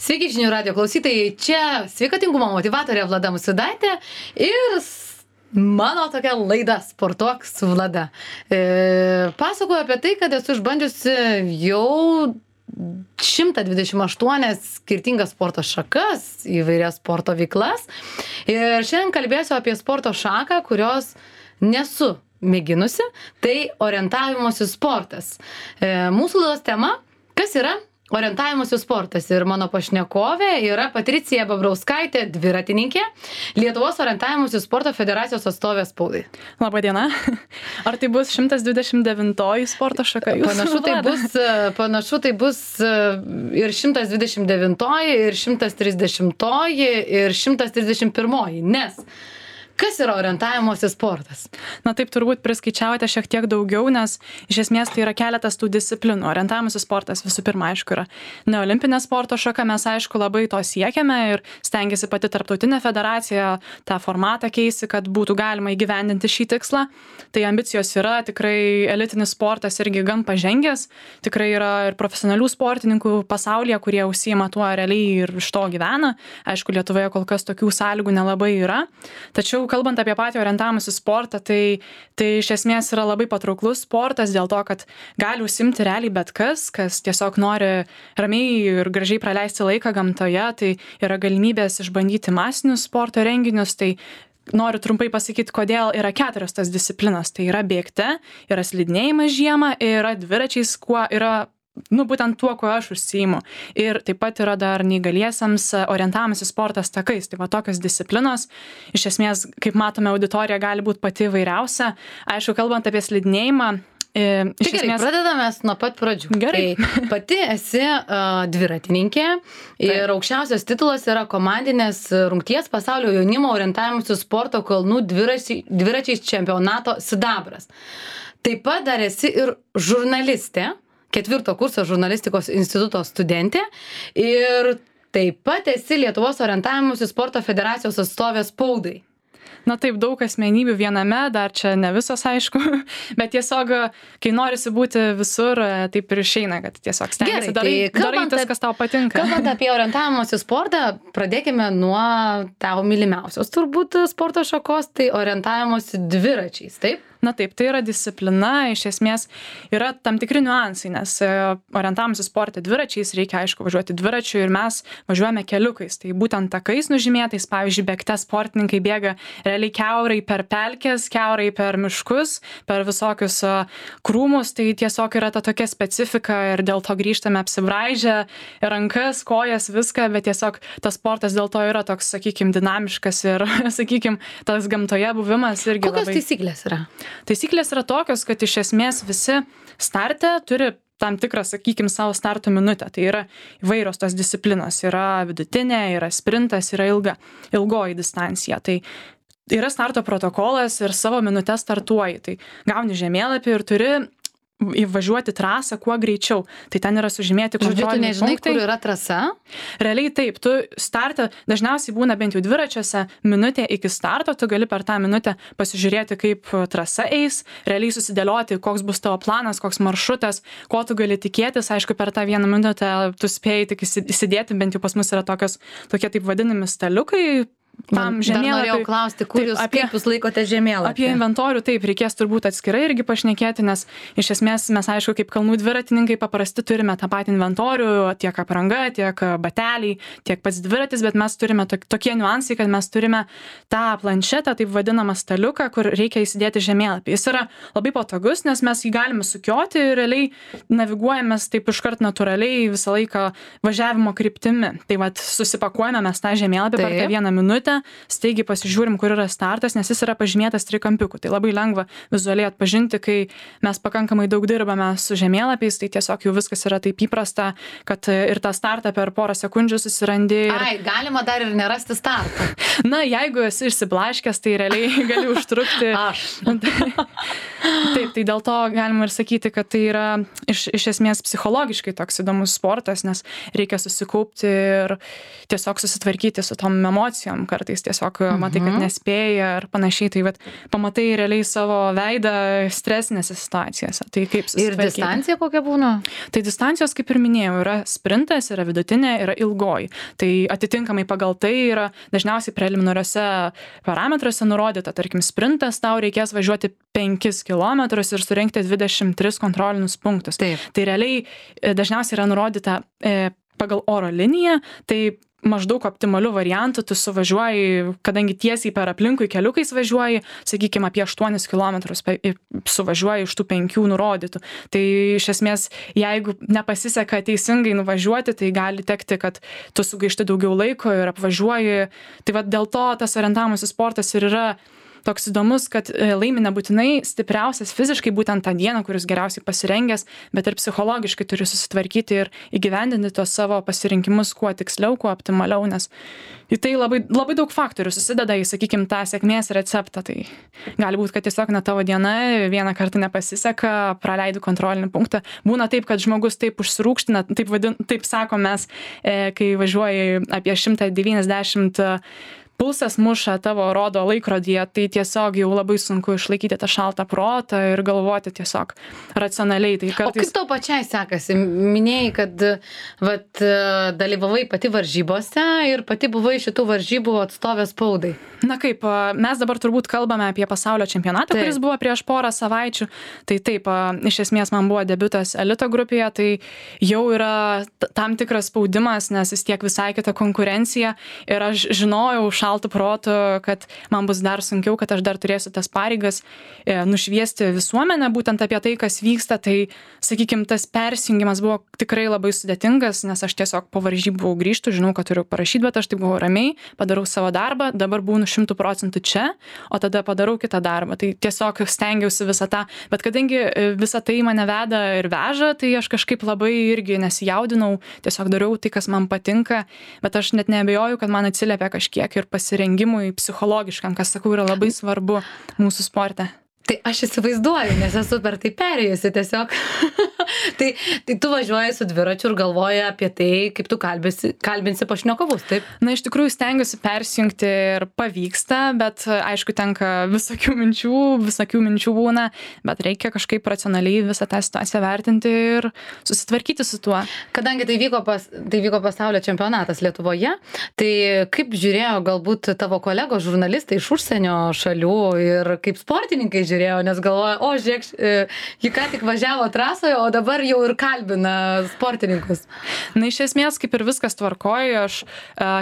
Sveiki žinių radio klausytojai, čia sveikatingumo motyvatorė Vlada Musvydaitė ir mano tokia laida Sportuok su Vlada. Pasakoju apie tai, kad esu išbandžiusi jau 128 skirtingas sporto šakas, įvairias sporto veiklas. Ir šiandien kalbėsiu apie sporto šaką, kurios nesu mėginusi, tai orientavimosi sportas. Mūsų laidos tema, kas yra orientavimosi sportas, ir mano pašnekovė yra Patricija Babrauskaitė, dviratininkė, Lietuvos orientavimosi sporto federacijos atstovė spaudai. Labadiena. Ar tai bus 129 sporto šaka? Panašu tai bus ir 129, ir 130, ir 131, nes kas yra orientavimosi sportas? Na taip, turbūt priskaičiavote šiek tiek daugiau, nes iš esmės tai yra keletas tų disciplinų. Orientavimosi sportas visų pirma, aišku, yra neolimpinė sporto šaka, mes aišku labai to siekiame ir stengiasi pati tarptautinė federacija tą formatą keisti, kad būtų galima įgyvendinti šį tikslą. Tai ambicijos yra, tikrai elitinis sportas irgi gan pažengęs, tikrai yra ir profesionalių sportininkų pasaulyje, kurie užsiima tuo realiai ir iš to gyvena. Aišku, Lietuvoje kol kas tokių sąlygų nelabai yra. Tačiau kalbant apie patį orientavimosi sportą, tai iš esmės yra labai patrauklus sportas dėl to, kad gali užsiimti realiai bet kas tiesiog nori ramiai ir gražiai praleisti laiką gamtoje, tai yra galimybės išbandyti masinius sporto renginius, tai noriu trumpai pasakyti, kodėl yra 4 tas disciplinos. Tai yra bėgte, yra slidinėjimas žiemą, yra dviračiais, kuo yra būtent tuo, kuo aš užsiimu. Ir taip pat yra dar neįgaliesiems orientavimosi sportas takais. Tai va tokios disciplinos. Iš esmės, kaip matome, auditorija gali būti pati įvairiausia. Aišku, kalbant apie slidinėjimą, gerai, pradedame nuo pat pradžių. Gerai. Tai pati esi dviratininkė ir aukščiausias titulas yra komandinės rungties pasaulio jaunimo orientavimosi sporto kalnų dviračiais čempionato sidabras. Taip pat dar esi ir žurnalistė, 4 kurso žurnalistikos instituto studentė ir taip pat esi Lietuvos orientavimosi sporto federacijos atstovė spaudai. Na taip, daug asmenybių viename, dar čia ne visas aišku, bet tiesiog, kai norisi būti visur, taip ir išeina, kad tiesiog stengiasi darai tas, kas tau patinka. Kalbant apie orientavimosi sportą, pradėkime nuo tavo mylimiausios turbūt sporto šakos, tai orientavimosi dviračiais, taip? Na taip, tai yra disciplina, iš esmės yra tam tikri niuansai, nes orientavimosi sporte dviračiais reikia, aišku, važiuoti dviračiu ir mes važiuojame keliukais. Tai būtent takais nužymėtais, pavyzdžiui, bėgte sportininkai bėga realiai kiaurai per pelkes, kiaurai per miškus, per visokius krūmus, tai tiesiog yra ta tokia specifika ir dėl to grįžtame apsibraižę rankas, kojas, viską, bet tiesiog tas sportas dėl to yra toks, sakykime, dinamiškas ir, sakykime, tas gamtoje buvimas irgi labai... Kokios taisyklės yra? Taisyklės yra tokios, kad iš esmės visi starte turi tam tikrą, sakykime, savo starto minutę. Tai yra įvairios tos disciplinos. Yra vidutinė, yra sprintas, yra ilgoji distancija. Tai yra starto protokolas ir savo minutę startuoji. Tai gauni žemėlapį ir turi įvažiuoti trasą kuo greičiau. Tai ten yra sužymėti kontroliniai punktai. Tu nežinai, kur yra trasa? Realiai taip, tu startą, dažniausiai būna bent jau dviračiuose minutė iki starto, tu gali per tą minutę pasižiūrėti, kaip trasa eis, realiai susidėlioti, koks bus tavo planas, koks maršrutas, ko tu gali tikėtis. Aišku, per tą 1 minutę tu spėjai tik įsidėti, bent jau pas mus yra tokie taip vadinami staliukai. Dar norėjau klausti, kaip jūs laikote žemėlapį? Apie inventorių taip, reikės turbūt atskirai irgi pašnekėti, nes iš esmės mes, aišku, kaip kalnų dviratininkai paprasti turime tą patį inventorių, tiek apranga, tiek bateliai, tiek pats dviratis, bet mes turime tokie niuansai, kad mes turime tą planšetą, taip vadinamą staliuką, kur reikia įsidėti žemėlapį. Jis yra labai patogus, nes mes jį galime sukioti ir realiai naviguojamės taip iškart natūraliai visą laiką važiavimo kryptimi. Tai vat susipakuojame mes tą žemėlapį per tą 1 minutę. Staigiai pasižiūrim, kur yra startas, nes jis yra pažymėtas trikampiuku. Tai labai lengva vizualiai atpažinti, kai mes pakankamai daug dirbame su žemėlapiais, tai tiesiog jau viskas yra taip įprasta, kad ir tą startą per porą sekundžių susirandi. Galima dar ir nerasti startą. Na, jeigu esi išsiblaškęs, tai realiai gali užtrukti. Taip, tai dėl to galima ir sakyti, kad tai yra iš esmės psichologiškai toks įdomus sportas, nes reikia susikaupti ir tiesiog susitvarkyti su tom emocijom, kartais tiesiog matai, kad nespėja ar panašiai, tai vat, pamatai realiai savo veidą stresinėse situacijose. Tai kaip ir distancija kokia būna? Tai distancijos, kaip ir minėjau, yra sprintas, yra vidutinė, yra ilgoji. Tai atitinkamai pagal tai yra dažniausiai preliminariuose parametruose nurodyta, tarkim, sprintas tau reikės važiuoti 5 km ir surinkti 23 kontrolinius punktus. Taip. Tai realiai dažniausiai yra nurodyta pagal oro liniją, tai maždaug optimalių variantų tu suvažiuoji, kadangi tiesiai per aplinkui keliukais važiuoji, sakykime, apie 8 km suvažiuoji iš tų 5 nurodytų. Tai iš esmės, jeigu nepasiseka teisingai nuvažiuoti, tai gali tekti, kad tu sugaišti daugiau laiko ir apvažiuoji. Tai va dėl to tas orientavimasis sportas ir yra toks įdomus, kad laimi nebūtinai stipriausias fiziškai būtent tą dieną, kuris geriausiai pasirengęs, bet ir psichologiškai turi susitvarkyti ir įgyvendinti tos savo pasirinkimus kuo tiksliau, kuo optimaliau, nes į tai labai, labai daug faktorių susideda į, sakykime, tą sėkmės receptą. Tai gali būti, kad tiesiog tavo diena vieną kartą nepasiseka, praleidų kontrolinį punktą. Būna taip, kad žmogus taip užsirūkština, taip sakom mes, kai važiuoji apie 190 pulsas muša tavo rodo laikrodyje, tai tiesiog jau labai sunku išlaikyti tą šaltą protą ir galvoti tiesiog racionaliai. Tai kartais... O kaip tau pačiai sekasi? Minėjai, kad dalyvavai pati varžybose ir pati buvai šitų varžybų atstovė spaudai. Na kaip, mes dabar turbūt kalbame apie pasaulio čempionatą, kuris buvo prieš porą savaičių. Tai taip, iš esmės man buvo debiutas elito grupėje, tai jau yra tam tikras spaudimas, nes vis tiek visai kita konkurencija ir aš žinojau šaltų protų, kad man bus dar sunkiau, kad aš dar turėsiu tas pareigas nušviesti visuomenę būtent apie tai, kas vyksta. Tai, sakykime, tas persijungimas buvo tikrai labai sudėtingas, nes aš tiesiog po varžybų grįžtu, žinau, kad turiu parašyti, bet aš taip buvau ramiai, padarau savo darbą, dabar būnu 100% čia, o tada padarau kitą darbą. Tai tiesiog stengiausi visą tą, bet kadangi visą tai mane veda ir veža, tai aš kažkaip labai irgi nesijaudinau, tiesiog dariau tai, kas man patinka, bet aš net neabejoju, kad man atsiliepia kažkiek ir pasirengimui psichologiškam, kas, sakau, yra labai svarbu mūsų sporte. Tai aš įsivaizduoju, nes esu per tai perėjusi tiesiog. tai tu važiuoji su dviračiu ir galvoji apie tai, kaip tu kalbinsi pašnekovus, taip? Na, iš tikrųjų stengiuosi persijungti ir pavyksta, bet aišku, tenka visokių minčių būna, bet reikia kažkaip racionaliai visą tą situaciją vertinti ir susitvarkyti su tuo. Kadangi tai vyko pasaulio čempionatas Lietuvoje, tai kaip žiūrėjo galbūt tavo kolegos žurnalistai iš užsienio šalių ir kaip sportininkai žiūrėjau, nes galvoja, o žiūrėk, ji ką tik važiavo trasoje, o dabar jau ir kalbina sportininkus. Na, iš esmės, kaip ir viskas tvarkoja, aš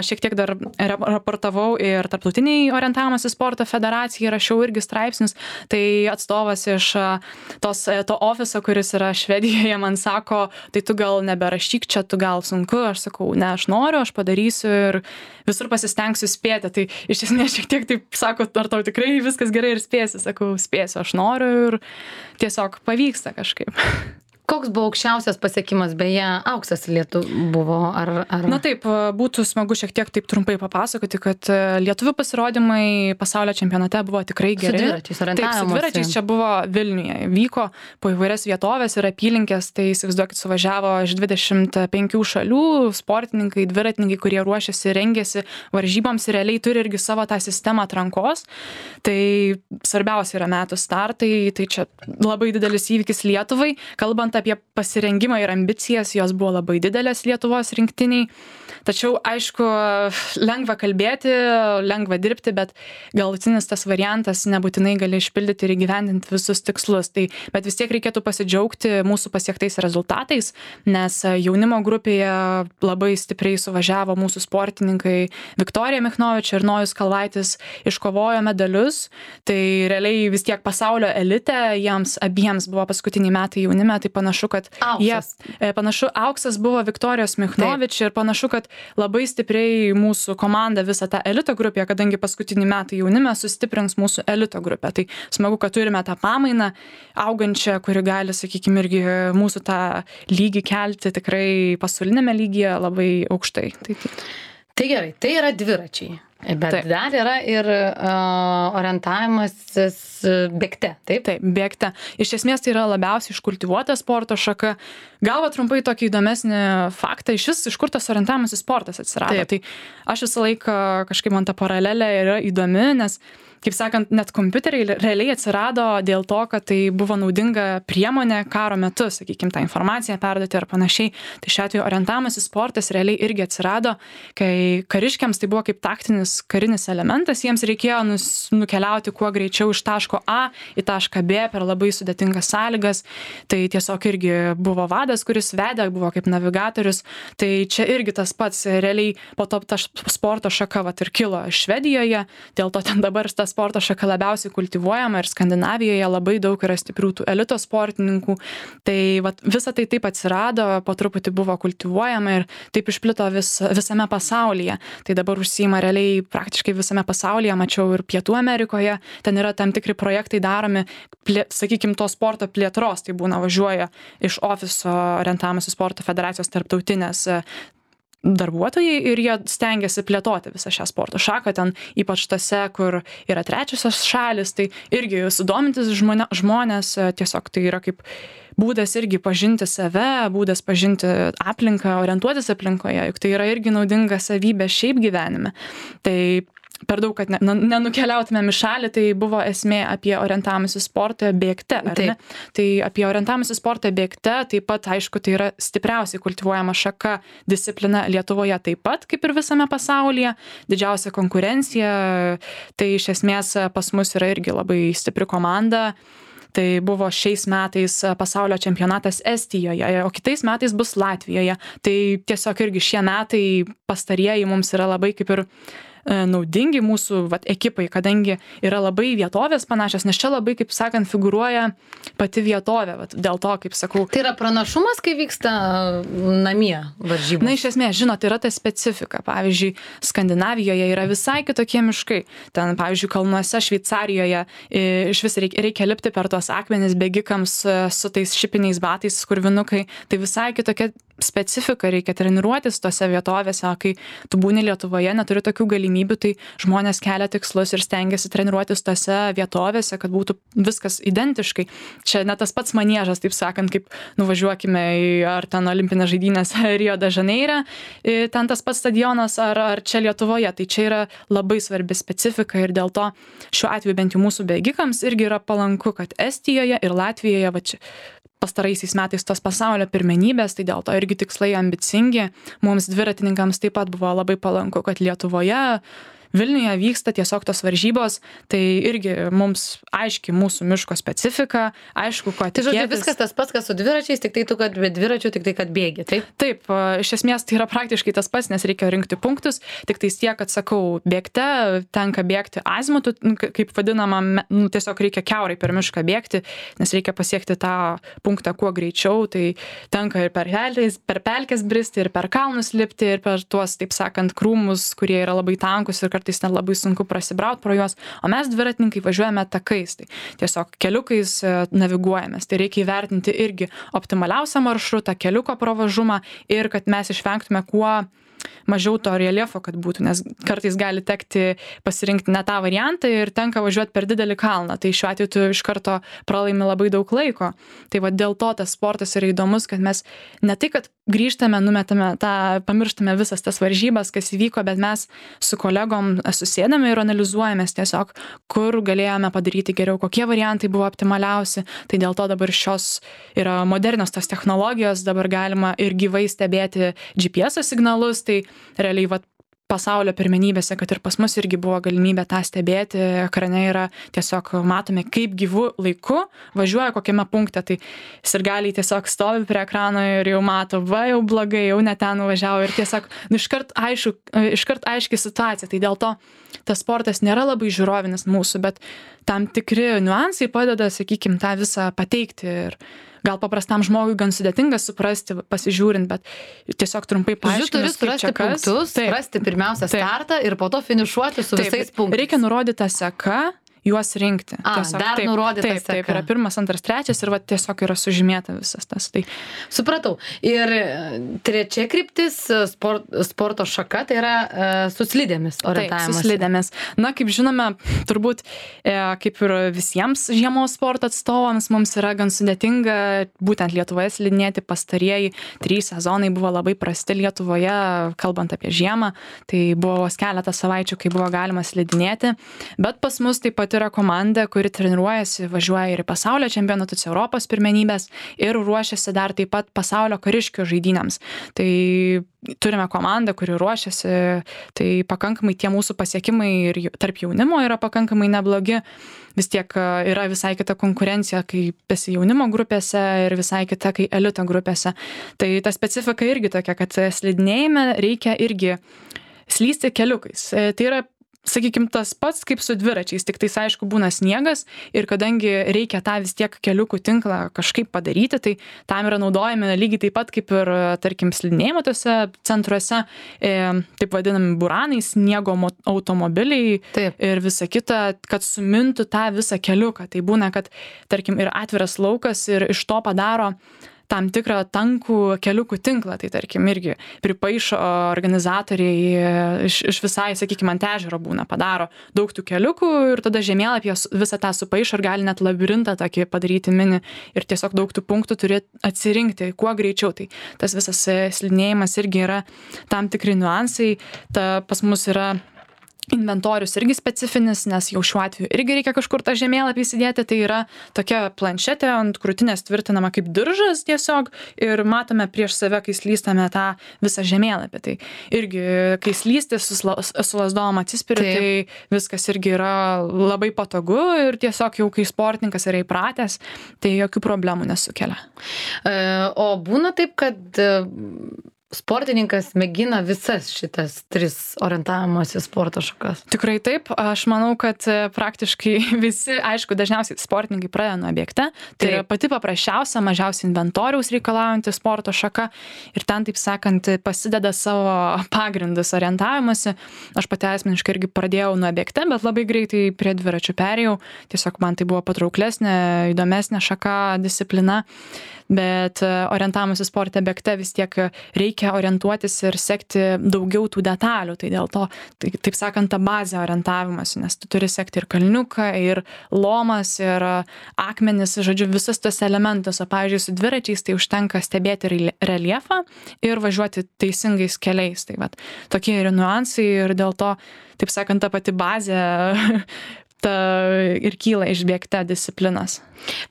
šiek tiek dar raportavau ir Tarptautiniai orientavimosi sporto federacijai, rašiau irgi straipsnius, tai atstovas iš to ofiso, kuris yra Švedijoje, man sako, tai tu gal neberašyk čia, tu gal sunku, aš sakau, ne, aš noriu, aš padarysiu ir visur pasistengsiu spėti. Tai iš esmės šiek tiek taip sako, ar tau tikrai viskas gerai ir spėsi, sakau, spėsiu, aš noriu ir tiesiog pavyksta kažkaip. Koks buvo aukščiausias pasiekimas, beje, auksas buvo, ar... Na taip, būtų smagu šiek tiek taip trumpai papasakoti, kad lietuvių pasirodymai pasaulio čempionate buvo tikrai geri. Su dviračiais orientavimosi. Taip, su dviračiais čia buvo Vilniuje. Vyko po įvairias vietovės ir apylinkės, tai įsivaizduokit, suvažiavo iš 25 šalių sportininkai, dviratininkai, kurie ruošiasi, rengėsi varžyboms ir realiai turi irgi savo tą sistemą atrankos. Tai svarbiausia yra metų startai, tai čia labai didelis įvykis Lietuvai. Kalbant apie pasirengimą ir ambicijas, jos buvo labai didelės Lietuvos rinktiniai. Tačiau, aišku, lengva kalbėti, lengva dirbti, bet galutinis tas variantas nebūtinai gali išpildyti ir įgyvendinti visus tikslus. Tai, bet vis tiek reikėtų pasidžiaugti mūsų pasiektais rezultatais, nes jaunimo grupėje labai stipriai suvažiavo mūsų sportininkai Viktorija Michnovič ir Nojus Kalvaitis, iškovojo medalius. Tai realiai vis tiek pasaulio elite, jiems abiems buvo paskutiniai metai jaunime, tai panašu, kad auksas buvo Viktorijos Michnovič ir panašu, kad labai stipriai mūsų komanda visą tą elito grupę, kadangi paskutinį metą jaunime sustiprins mūsų elito grupę. Tai smagu, kad turime tą pamainą augančią, kuri gali, sakykime, irgi mūsų tą lygį kelti tikrai pasaulinėme lygyje labai aukštai. Tai gerai, tai yra dviračiai. Bet dar yra ir orientavimasis bėgte, taip? Taip, bėgte. Iš esmės tai yra labiausiai iškultivuota sporto šaka. Gal trumpai tokį įdomesnį faktą, iš kur tas orientavimasis sportas atsirado. Taip. Tai aš visą laiką kažkaip man ta paralelė yra įdomi, nes kaip sakant, net kompiuteriai realiai atsirado dėl to, kad tai buvo naudinga priemonė karo metu, sakykime, tą informaciją perduoti ar panašiai. Tai šiuo atveju orientavimasis sportas realiai irgi atsirado, kai kariškiams tai buvo kaip taktinis karinis elementas, jiems reikėjo nukeliauti kuo greičiau iš taško A į tašką B per labai sudėtingas sąlygas. Tai tiesiog irgi buvo vadas, kuris vedė, buvo kaip navigatorius. Tai čia irgi tas pats, realiai po to ta sporto šaka ir kilo Švedijoje, dėl to ten dabar tas sporto šaka labiausiai kultivuojama ir Skandinavijoje labai daug yra stiprių tų elito sportininkų. Tai visa tai taip atsirado, po truputį buvo kultivuojama ir taip išplito visame pasaulyje. Tai dabar užsiima realiai praktiškai visame pasaulyje, mačiau ir Pietų Amerikoje, ten yra tam tikri projektai daromi, sakykime, to sporto plėtros, tai būna važiuoja iš ofiso orientavimasis sporto federacijos tarptautinės darbuotojai ir jie stengiasi plėtoti visą šią sporto šaką, ten ypač tose, kur yra trečiosios šalis, tai irgi sudomintis žmonės, tiesiog tai yra kaip būdas irgi pažinti save, būdas pažinti aplinką, orientuotis aplinkoje, juk tai yra irgi naudinga savybė šiaip gyvenime. Tai per daug, kad nenukeliautumėm į šalį, tai buvo esmė apie orientavimąsi sportą bėgte, ar ne? Tai apie orientavimąsi sportą bėgte, taip pat, aišku, tai yra stipriausiai kultivuojama šaka disciplina Lietuvoje taip pat, kaip ir visame pasaulyje, didžiausia konkurencija, tai iš esmės pas mus yra irgi labai stipri komanda. Tai buvo šiais metais pasaulio čempionatas Estijoje, o kitais metais bus Latvijoje. Tai tiesiog irgi šie metai pastarieji mums yra labai kaip ir naudingi mūsų ekipai, kadangi yra labai vietovės panašios, nes čia labai, kaip sakant, figūruoja pati vietovė. Dėl to, kaip sakau. Tai yra pranašumas, kai vyksta namie varžybos? Na, iš esmės, žinot, yra ta specifika. Pavyzdžiui, Skandinavijoje yra visai kitokie miškai. Ten, pavyzdžiui, kalnuose Šveicarijoje iš vis reikia lipti per tuos akmenis bėgikams su tais šipiniais batais, skurvinukai. Tai visai kitokia specifika, reikia treniruotis tose vietovėse, kai tu būni Lietuvoje, neturi tokių galimybių, tai žmonės kelia tikslus ir stengiasi treniruotis tose vietovėse, kad būtų viskas identiškai. Čia ne tas pats maniežas, taip sakant, kaip nuvažiuokime į ar ten olimpinės žaidynės Rio de Žaneire, ten tas pats stadionas ar čia Lietuvoje. Tai čia yra labai svarbi specifika ir dėl to šiuo atveju bent jau mūsų bėgikams irgi yra palanku, kad Estijoje ir Latvijoje čia pastaraisiais metais tos pasaulio pirmenybės, tai dėl to irgi tikslai ambicingi. Mums dviratininkams taip pat buvo labai palanku, kad Lietuvoje, Vilniuje vyksta tiesiog tos varžybos, tai irgi mums aiški mūsų miško specifika, aišku, ko tikėtis. Tai žodžiu, viskas tas pats, kas su dviračiais, tik tai tu, kad be dviračių, tik tai, kad bėgi, taip? Taip, iš esmės tai yra praktiškai tas pats, nes reikia rinkti punktus, tik tai tiek, kad sakau, bėgte tenka bėgti azimutu, kaip vadinama, tiesiog reikia kiaurai per mišką bėgti, nes reikia pasiekti tą punktą kuo greičiau, tai tenka ir per pelkes bristi, ir per kalnus lipti, ir per tuos, taip sakant, krūmus, kurie yra labai tankus ir kartais net labai sunku prasibraut pro juos, o mes dviratininkai važiuojame takais, tai tiesiog keliukais naviguojamės, tai reikia įvertinti irgi optimaliausią maršrutą, keliuko pravažumą ir kad mes išvengtume kuo mažiau to reljefo, kad būtų, nes kartais gali tekti pasirinkti ne tą variantą ir tenka važiuoti per didelį kalną, tai šiuo atveju tu iš karto pralaimi labai daug laiko. Tai dėl to tas sportas yra įdomus, kad mes ne tai, kad grįžtame, numetame pamirštame visas tas varžybas, kas įvyko, bet mes su kolegom susėdame ir analizuojamės tiesiog, kur galėjome padaryti geriau, kokie variantai buvo optimaliausi. Tai dėl to dabar šios yra modernios tos technologijos, dabar galima ir gyvai stebėti GPS signalus, tai realiai pasaulio pirmenybėse, kad ir pas mus irgi buvo galimybė tą stebėti, ekrane yra tiesiog matome, kaip gyvų laiku važiuoja kokiame punkte, tai sirgaliai tiesiog stovi prie ekrano ir jau mato, jau blogai, jau ne ten nuvažiavo ir tiesiog iškart aiški situacija, tai dėl to tas sportas nėra labai žiūrovinis mūsų, bet tam tikri niuansai padeda, sakykime, tą visą pateikti ir gal paprastam žmogui gan sudėtinga suprasti, pasižiūrint, bet tiesiog trumpai paaiškinus, kaip čia kas. Punktus, rasti pirmiausia startą ir po to finišuoti su visais punktais. Reikia nurodyti seką juos rinkti. Dar nurodyta seka. Taip, yra 1, 2, 3 ir va tiesiog yra sužymėta visas tas. Tai. Supratau. Ir trečia kryptis sporto šaka, tai yra su slidėmis orientavimas. Taip, su slidėmis. Na, kaip žinome, turbūt kaip ir visiems žiemos sporto atstovams mums yra gan sudėtinga būtent Lietuvoje slidinėti. Pastarieji 3 sezonai buvo labai prasti Lietuvoje, kalbant apie žiemą. Tai buvo vos keletą savaičių, kai buvo galima slidinėti. Bet pas mus taip pat yra komanda, kuri treniruojasi, važiuoja ir į pasaulio čempionatus, Europos pirmenybės ir ruošiasi dar taip pat pasaulio kariškių žaidynėms. Tai turime komandą, kuri ruošiasi, tai pakankamai tie mūsų pasiekimai ir tarp jaunimo yra pakankamai neblogi. Vis tiek yra visai kita konkurencija, kai esi jaunimo grupėse ir visai kita, kai elito grupėse. Tai ta specifika irgi tokia, kad slidinėjime reikia irgi slysti keliukais. Tai yra, sakykim, tas pats kaip su dviračiais, tik tais aišku būna sniegas ir kadangi reikia tą vis tiek keliukų tinklą kažkaip padaryti, tai tam yra naudojami lygiai taip pat kaip ir, tarkim, slidinėjimo tose centruose, taip vadinami buranai, sniego automobiliai. Taip. Ir visa kita, kad sumintų tą visą keliuką. Tai būna, kad, tarkim, ir atviras laukas ir iš to padaro tam tikrą tankų keliukų tinklą, tai tarkim irgi pripaišo organizatoriai iš visai, sakykime, ant ežero būna, padaro daug tų keliukų ir tada žemėlapyje visą tą supaišo ir gali net labirintą tokį padaryti mini ir tiesiog daug tų punktų turi atsirinkti kuo greičiau. Tai tas visas slidinėjimas irgi yra tam tikri niuansai, pas mus yra inventorius irgi specifinis, nes jau šiuo atveju irgi reikia kažkur tą žemėlapį įsidėti, tai yra tokia planšetė ant krūtinės tvirtinama kaip diržas tiesiog ir matome prieš save, kai slystame tą visą žemėlapį. Tai irgi, kai slysti su lasdom atsispiri, tai viskas irgi yra labai patogu ir tiesiog jau kai sportininkas yra įpratęs, tai jokių problemų nesukelia. O būna taip, kad sportininkas mėgina visas šitas 3 orientavimosi sporto šakas? Tikrai taip. Aš manau, kad praktiškai visi, aišku, dažniausiai sportininkai pradeda nuo bėgte. Tai yra pati paprasčiausia, mažiausiai inventoriaus reikalaujanti sporto šaka. Ir ten, taip sakant, pasideda savo pagrindus orientavimosi. Aš pati asmeniškai irgi pradėjau nuo bėgte, bet labai greitai prie dviračių perėjau. Tiesiog man tai buvo patrauklesnė, įdomesnė šaka, disciplina. Bet orientavimuose sporte bėgte vis tiek reikia orientuotis ir sekti daugiau tų detalių. Tai dėl to, taip sakant, ta bazė orientavimas, nes tu turi sekti ir kalniuką, ir lomas, ir akmenis, žodžiu, visus tos elementus. O pavyzdžiui, su dviračiais tai užtenka stebėti reljefą ir važiuoti teisingais keliais. Tai vat, tokie yra niuansai ir dėl to, taip sakant, ta pati bazė ir kyla iš bėgte disciplinas.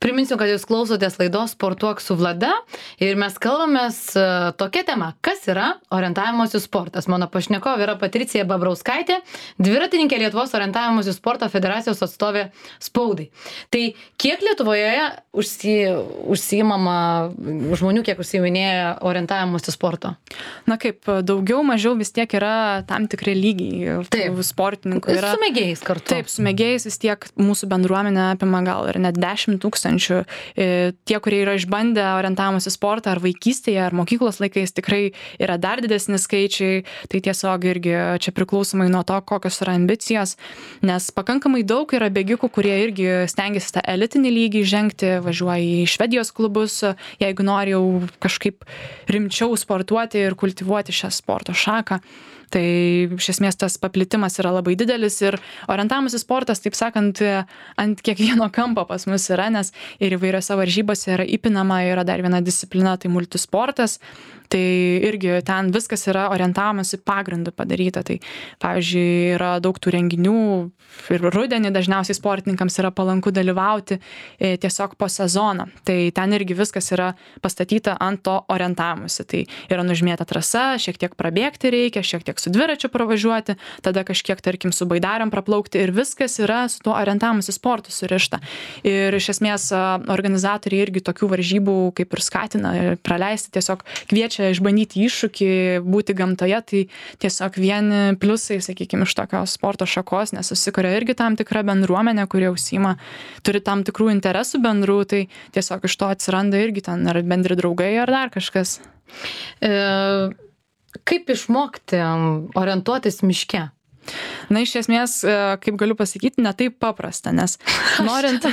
Priminsiu, kad jūs klausotės laidos Sportuok su Vlada ir mes kalbamės tokia tema, kas yra orientavimosi sportas. Mano pašnekovė yra Patricija Babrauskaitė, dviratininkė Lietuvos orientavimosi sporto federacijos atstovė spaudai. Tai kiek Lietuvoje užsiimama žmonių, kiek užsiiminėja orientavimosi sporto? Na kaip, daugiau mažiau vis tiek yra tam tikri lygiai. Taip, sportininkų yra. Su mėgėjais kartu. Taip, su mėgėjais vis tiek mūsų bendruomenė apima gal ir net 10 000. Tie, kurie yra išbandę orientavimosi sportą ar vaikystėje, ar mokyklos laikais, tikrai yra dar didesni skaičiai. Tai tiesiog irgi čia priklausomai nuo to, kokios yra ambicijos, nes pakankamai daug yra bėgikų, kurie irgi stengiasi tą elitinį lygį žengti, važiuoja į Švedijos klubus, jeigu nori jau kažkaip rimčiau sportuoti ir kultivuoti šią sporto šaką. Tai iš esmės tas paplitimas yra labai didelis ir orientavimosi sportas, taip sakant, ant kiekvieno kampo pas mus yra, nes ir įvairiose varžybose yra įpinama, yra dar viena disciplina, tai multisportas. Tai irgi ten viskas yra orientavimosi pagrindu padaryta. Tai pavyzdžiui, yra daug tų renginių ir rudenį dažniausiai sportininkams yra palanku dalyvauti tiesiog po sezoną. Tai ten irgi viskas yra pastatyta ant to orientavimosi. Tai yra nužymėta trasa, šiek tiek prabėgti reikia, šiek tiek su dviračiu pravažiuoti, tada kažkiek, tarkim, su baidariam praplaukti ir viskas yra su tuo orientavimosi sportu surišta. Ir iš esmės organizatoriai irgi tokių varžybų kaip ir skatina praleisti, tiesiog kviečia išbandyti iššūkį, būti gamtoje, tai tiesiog vieni pliusai, sakykime, iš tokios sporto šakos, nes susikuria irgi tam tikra bendruomenė, kurie užsiima, turi tam tikrų interesų bendrų, tai tiesiog iš to atsiranda irgi ten ar bendri draugai, ar dar kažkas. Kaip išmokti orientuotis miške? Na, iš esmės, kaip galiu pasakyti, ne taip paprasta, nes norint...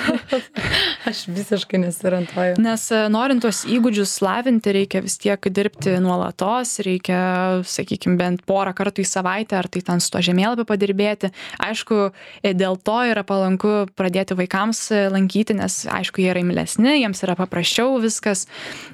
Aš visiškai nesiorientuoju. Nes norint tuos įgūdžius lavinti, reikia vis tiek dirbti nuolatos, reikia, sakykime, bent porą kartų į savaitę, ar tai ten su to žemėlapiu padirbėti. Aišku, dėl to yra palanku pradėti vaikams lankyti, nes, aišku, jie yra imlesni, jiems yra paprasčiau viskas.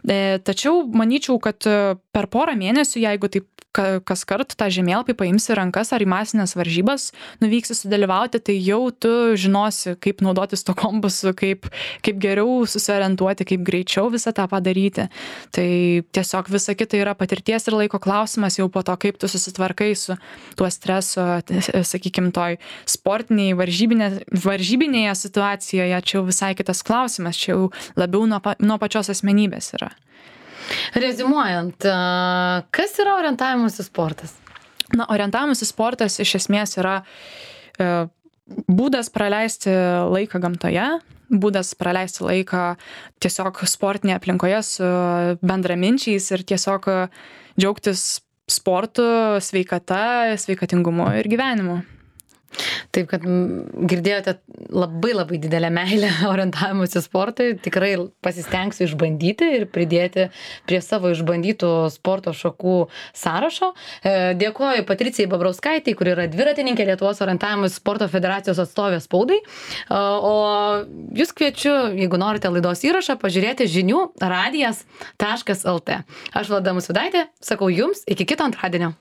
Tačiau manyčiau, kad per porą mėnesių, jeigu taip kas kart tą žemėlapį paimsi rankas ar į masinės varžybas nuvyksi sudalyvauti, tai jau tu žinosi, kaip naudotis to kompasu, kaip geriau susiorientuoti, kaip greičiau visą tą padaryti. Tai tiesiog visa kita yra patirties ir laiko klausimas jau po to, kaip tu susitvarkai su tuo stresu, sakykime, toj sportiniai varžybinėje situacijoje, čia jau visai kitas klausimas, čia jau labiau nuo pačios asmenybės yra. Reziumuojant, kas yra orientavimusis sportas? Na, orientavimusis sportas iš esmės yra būdas praleisti laiką gamtoje, būdas praleisti laiką tiesiog sportinėje aplinkoje su bendraminčiais ir tiesiog džiaugtis sportu, sveikata, sveikatingumu ir gyvenimu. Taip, kad girdėjote labai didelę meilę orientavimuose sportui, tikrai pasistengsiu išbandyti ir pridėti prie savo išbandytų sporto šakų sąrašo. Dėkoju Patricijai Babrauskaitei, kuri yra dviratininkė Lietuvos orientavimuose sporto federacijos atstovė spaudai. O jūs kviečiu, jeigu norite laidos įrašą, pažiūrėti žinių radijas.lt. Aš Vlada Musvydaitė, sakau jums iki kito antradienio.